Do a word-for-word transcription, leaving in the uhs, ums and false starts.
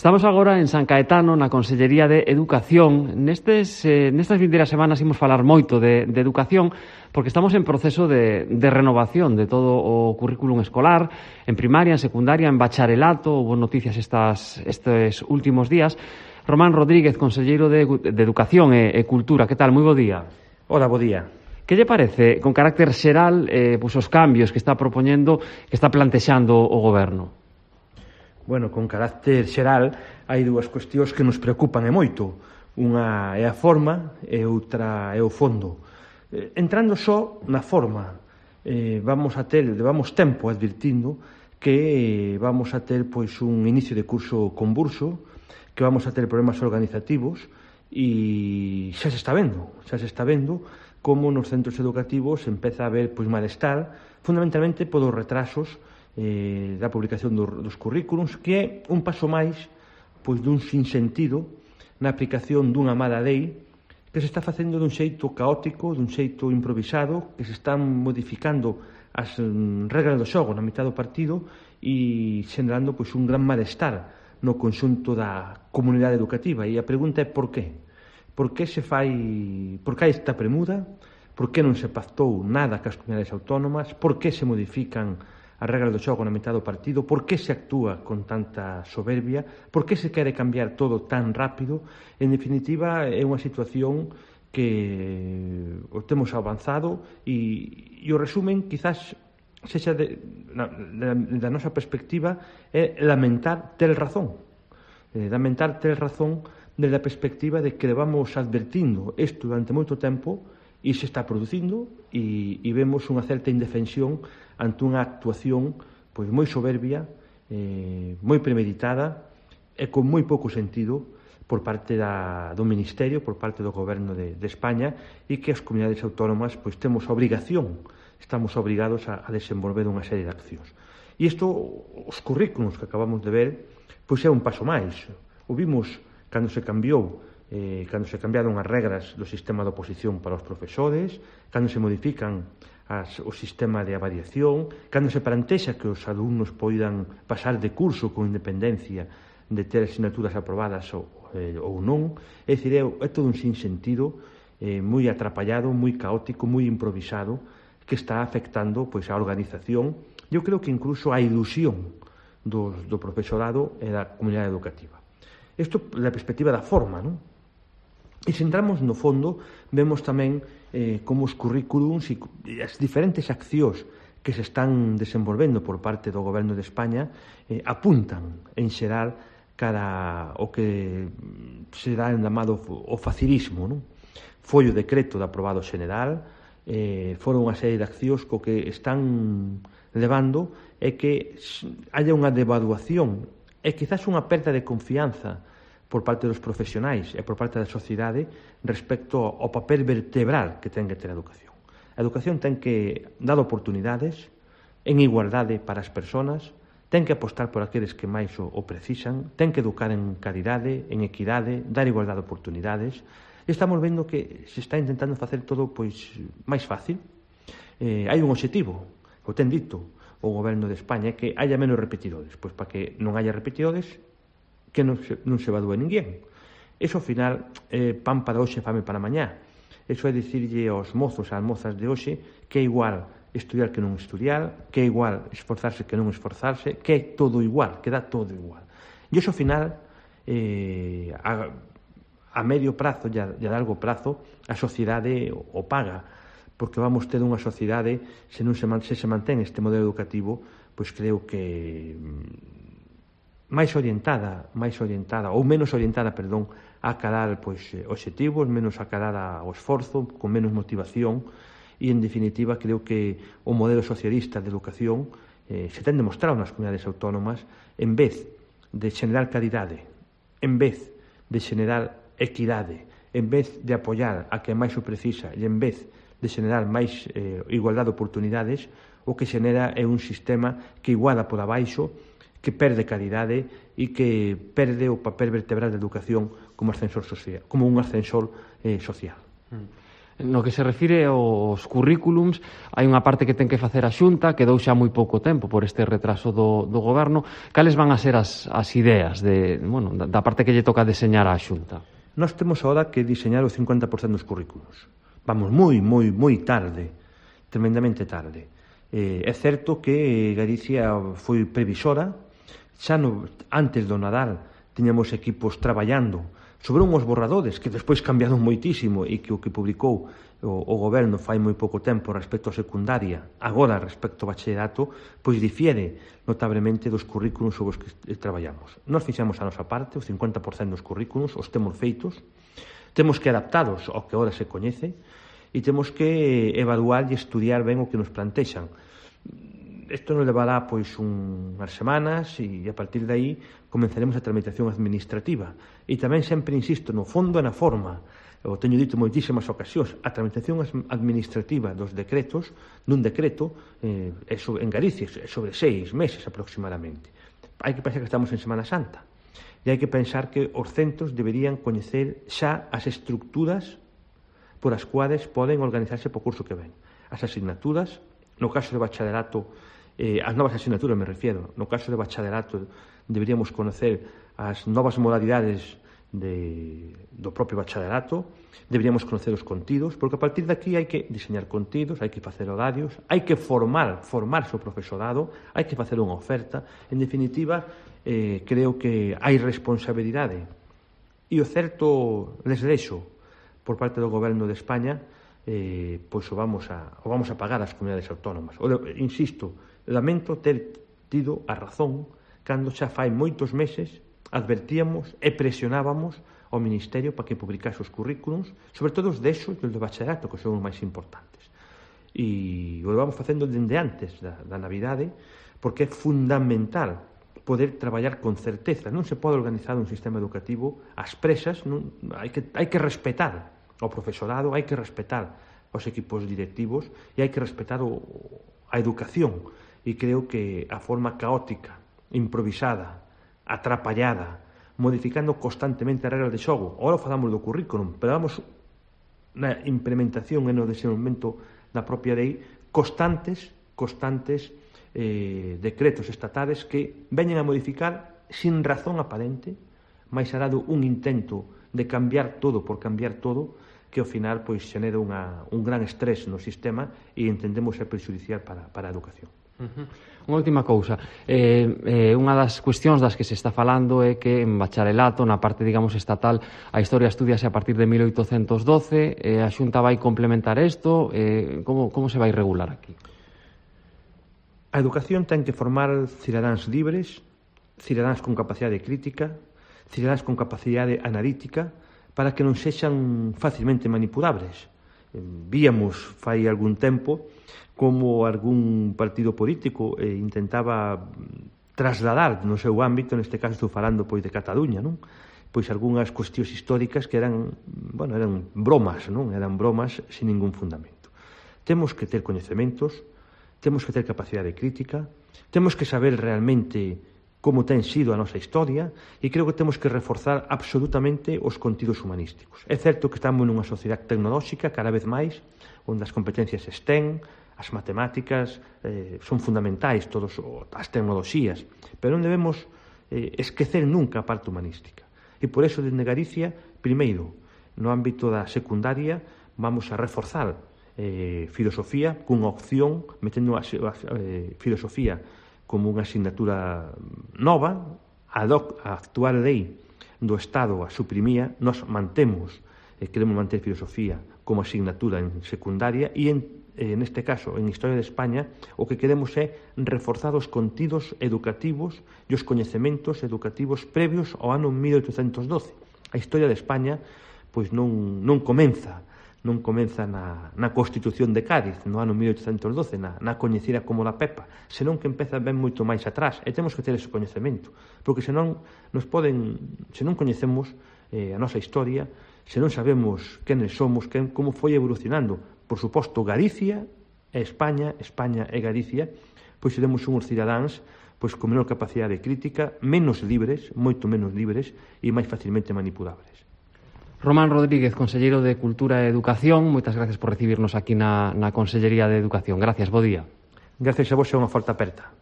Estamos agora en San Caetano, na Consellería de Educación. Nestes, eh, nestas vindeiras semanas imos falar moito de, de educación, porque estamos en proceso de, de renovación de todo o currículum escolar, en primaria, en secundaria, en bacharelato. Houve noticias estas, estes últimos días. Román Rodríguez, conselleiro de, de Educación e, e Cultura. Que tal? Moi bo día. Hola, bo día. Que lle parece, con carácter xeral, eh, pues, os cambios que está propoñendo, que está plantexando o Goberno? Bueno, con carácter xeral, hai dúas cuestións que nos preocupan e moito. Unha é a forma e outra é o fondo. Eh, entrando só na forma, eh, vamos a ter, levamos tempo advirtindo que eh, vamos a ter pois un inicio de curso convulso, que vamos a ter problemas organizativos e xa se está vendo, xa se está vendo como nos centros educativos empeza a haber pois malestar, fundamentalmente polos retrasos eh, da publicación do, dos currículums, que é un paso máis pois dun sinsentido na aplicación dunha mala lei que se está facendo dun xeito caótico, dun xeito improvisado, que se están modificando as mm, regras do xogo na mitad do partido e xenerando pois un gran malestar no conxunto da comunidade educativa. E a pregunta é por qué? Por que se fai, por que hai esta premuda? Por que non se pactou nada cas comunidades autónomas? Por que se modifican as regras do xogo na mitad do partido? Por que se actúa con tanta soberbia? Por que se quere cambiar todo tan rápido? En definitiva, é unha situación que o temos avanzado e, e o resumen, quizás, sexa de, na, da, da nosa perspectiva, é lamentar ter razón. Eh, lamentar ter razón desde a perspectiva de que levamos advertindo isto durante moito tempo e se está producindo e, e vemos unha certa indefensión ante unha actuación pois moi soberbia, eh, moi premeditada e con moi pouco sentido por parte da, do Ministerio, por parte do Goberno de, de España, e que as comunidades autónomas pois temos a obrigación, estamos obrigados a, a desenvolver unha serie de accións. E isto, os currículos que acabamos de ver, pois é un paso máis. O vimos cando se cambiou Eh, cando se cambiaron as regras do sistema de oposición para os profesores, cando se modifican as, o sistema de avaliación, cando se plantexa que os alumnos poidan pasar de curso con independencia de ter asignaturas aprobadas ou, eh, ou non. É dicir, é, é todo un sinsentido eh, moi atrapallado, moi caótico, moi improvisado, que está afectando pois, a organización, eu creo que incluso a ilusión do, do profesorado e da comunidade educativa. Isto da perspectiva da forma, non? E se entramos no fondo, vemos tamén eh, como os currículums e as diferentes accións que se están desenvolvendo por parte do Goberno de España eh, apuntan, en xeral, cara o que se dá en chamado o facilismo, non? Foi o decreto de aprobado xeneral, eh, foron unha serie de accións co que están levando é que haya unha devaluación e quizás unha perda de confianza por parte dos profesionais e por parte da sociedade respecto ao papel vertebral que ten que ter a educación. A educación ten que dar oportunidades en igualdade para as persoas, ten que apostar por aqueles que máis o, o precisan, ten que educar en calidade, en equidade, dar igualdade de oportunidades. E estamos vendo que se está intentando facer todo pois máis fácil. Eh, hai un obxectivo, o ten dito o Goberno de España, que haya menos repetidores. Pois para que non haya repetidores, que non se, non se evadúe ninguén. Eso, ao final, é eh, pan para hoxe, fame para mañá. Eso é dicirlle aos mozos, ás mozas de hoxe, que é igual estudiar que non estudiar, que é igual esforzarse que non esforzarse, que é todo igual, que dá todo igual. E eso, ao final, eh, a, a medio prazo e a, e a largo prazo, a sociedade o, o paga, porque vamos ter unha sociedade, se non se, se, se mantén este modelo educativo, pois creo que máis orientada, máis orientada ou menos orientada, perdón, a cadar pois obxectivos, menos a cadar ao esforzo, con menos motivación, e en definitiva creo que o modelo socialista de educación eh, se ten demostrado nas comunidades autónomas, en vez de xenerar calidade, en vez de xenerar equidade, en vez de apoiar a que máis o precisa e en vez de xenerar máis eh, igualdade de oportunidades, o que xenera é un sistema que iguala por abaixo, que perde calidade e que perde o papel vertebral da educación como ascensor social, como un ascensor eh, social. Mm. No que se refire aos currículums, hai unha parte que ten que facer a Xunta, quedou xa moi pouco tempo por este retraso do, do Goberno. Cales van a ser as, as ideas de, bueno, da, da parte que lle toca deseñar á Xunta? Nós temos agora que diseñar o cincuenta por cento dos currículos. Vamos moi, moi, moi tarde, tremendamente tarde. Eh, é certo que Galicia foi previsora, xa no, antes do Nadal tiñamos equipos traballando sobre unhos borradores que despois cambiaron moitísimo e que o que publicou o, o goberno fai moi pouco tempo respecto a secundaria, agora respecto ao bachillerato, pois difiere notablemente dos currículos sobre os que traballamos. Nós fixemos a nosa parte, o cincuenta por cento dos currículos, os temos feitos, temos que adaptados ao que agora se coñece e temos que evaluar e estudiar ben o que nos plantexan. Isto nos levará pois unhas semanas e a partir de aí comenzaremos a tramitación administrativa. E tamén sempre insisto no fondo e na forma. Eu teño dito moitísimas ocasións, a tramitación administrativa dos decretos, nun decreto, eh, é sobre, en Galicia, é sobre seis meses aproximadamente. Hai que pensar que estamos en Semana Santa. E hai que pensar que os centros deberían coñecer xa as estructuras por as cuales poden organizarse po curso que ven. As asignaturas, no caso de bacharelato, Eh, as novas asignaturas me refiero, no caso de bacharelato deberíamos conocer as novas modalidades de, do propio bacharelato, deberíamos conocer os contidos, porque a partir de aquí hai que diseñar contidos, hai que facer horarios, hai que formar, formarse o profesorado, hai que facer unha oferta. En definitiva, eh, creo que hai responsabilidade e o certo les deixo por parte do Goberno de España, eh, pois o vamos a, o vamos a pagar as comunidades autónomas. O, insisto, lamento ter tido a razón cando xa fai moitos meses advertíamos e presionábamos ao Ministerio para que publicase os currículums, sobre todo os de eso e os de bachillerato, que son os máis importantes. E o vamos facendo dende antes da, da Navidade, porque é fundamental poder traballar con certeza. Non se pode organizar un sistema educativo ás presas, non, hai, que, hai que respetar ao profesorado, hai que respetar aos equipos directivos e hai que respetar o, a educación. E creo que a forma caótica, improvisada, atrapallada, modificando constantemente as regras de xogo. Agora falamos do currículum, pero vamos na implementación e no desenvolvemento da propia lei constantes, constantes eh, decretos estatales que veñen a modificar sin razón aparente, máis será un intento de cambiar todo por cambiar todo, que ao final pois xenera unha, un gran estrés no sistema e entendemos ser prejudicial para, para a educación. Uh-huh. Unha última cousa, eh, eh, unha das cuestións das que se está falando é que en bacharelato, na parte, digamos, estatal, a historia estudiase a partir de mil oitocentos doce, eh, a Xunta vai complementar isto, eh, como, como se vai regular aquí? A educación ten que formar cidadáns libres, cidadáns con capacidade crítica, cidadáns con capacidade analítica, para que non sexan facilmente manipulables. Víamos fai algún tempo como algún partido político eh, intentaba trasladar no seu ámbito, neste caso estou falando pois de Cataluña, non? Pois algunhas cuestións históricas que eran, bueno, eran bromas, non? Eran bromas sin ningún fundamento. Temos que ter coñecementos, temos que ter capacidade crítica, temos que saber realmente como ten sido a nosa historia e creo que temos que reforzar absolutamente os contidos humanísticos. É certo que estamos nunha sociedade tecnolóxica cada vez máis, onde as competencias STEM, as matemáticas, eh, son fundamentais, todas as tecnoloxías, pero non debemos eh, esquecer nunca a parte humanística. E por eso, dende Galicia, primeiro, no ámbito da secundaria, vamos a reforzar eh, filosofía cunha opción, metendo a, a, a eh, filosofía como unha asignatura nova, a, doc, a actual lei do Estado a suprimía, nós mantemos, eh, queremos manter filosofía como asignatura en secundaria e en Eh, neste caso, en Historia de España, o que queremos é reforzar os contidos educativos e os coñecementos educativos previos ao ano mil oitocentos doce. A Historia de España pois non, non comeza non comeza na, na Constitución de Cádiz no ano mil oitocentos doce, na, na coñecida como la Pepa, senón que empeza ben moito máis atrás, e temos que ter ese coñecemento, porque senón nos poden, se non coñecemos eh, a nosa historia, se non sabemos quenes somos, quen, como foi evolucionando. Por suposto, Galicia e España, España e Galicia, pois seremos unhos cidadáns pois con menor capacidade crítica, menos libres, moito menos libres e máis facilmente manipulables. Román Rodríguez, conselleiro de Cultura e Educación, moitas gracias por recibirnos aquí na, na Consellería de Educación. Gracias, bo día. Gracias a vos, é unha falta aperta.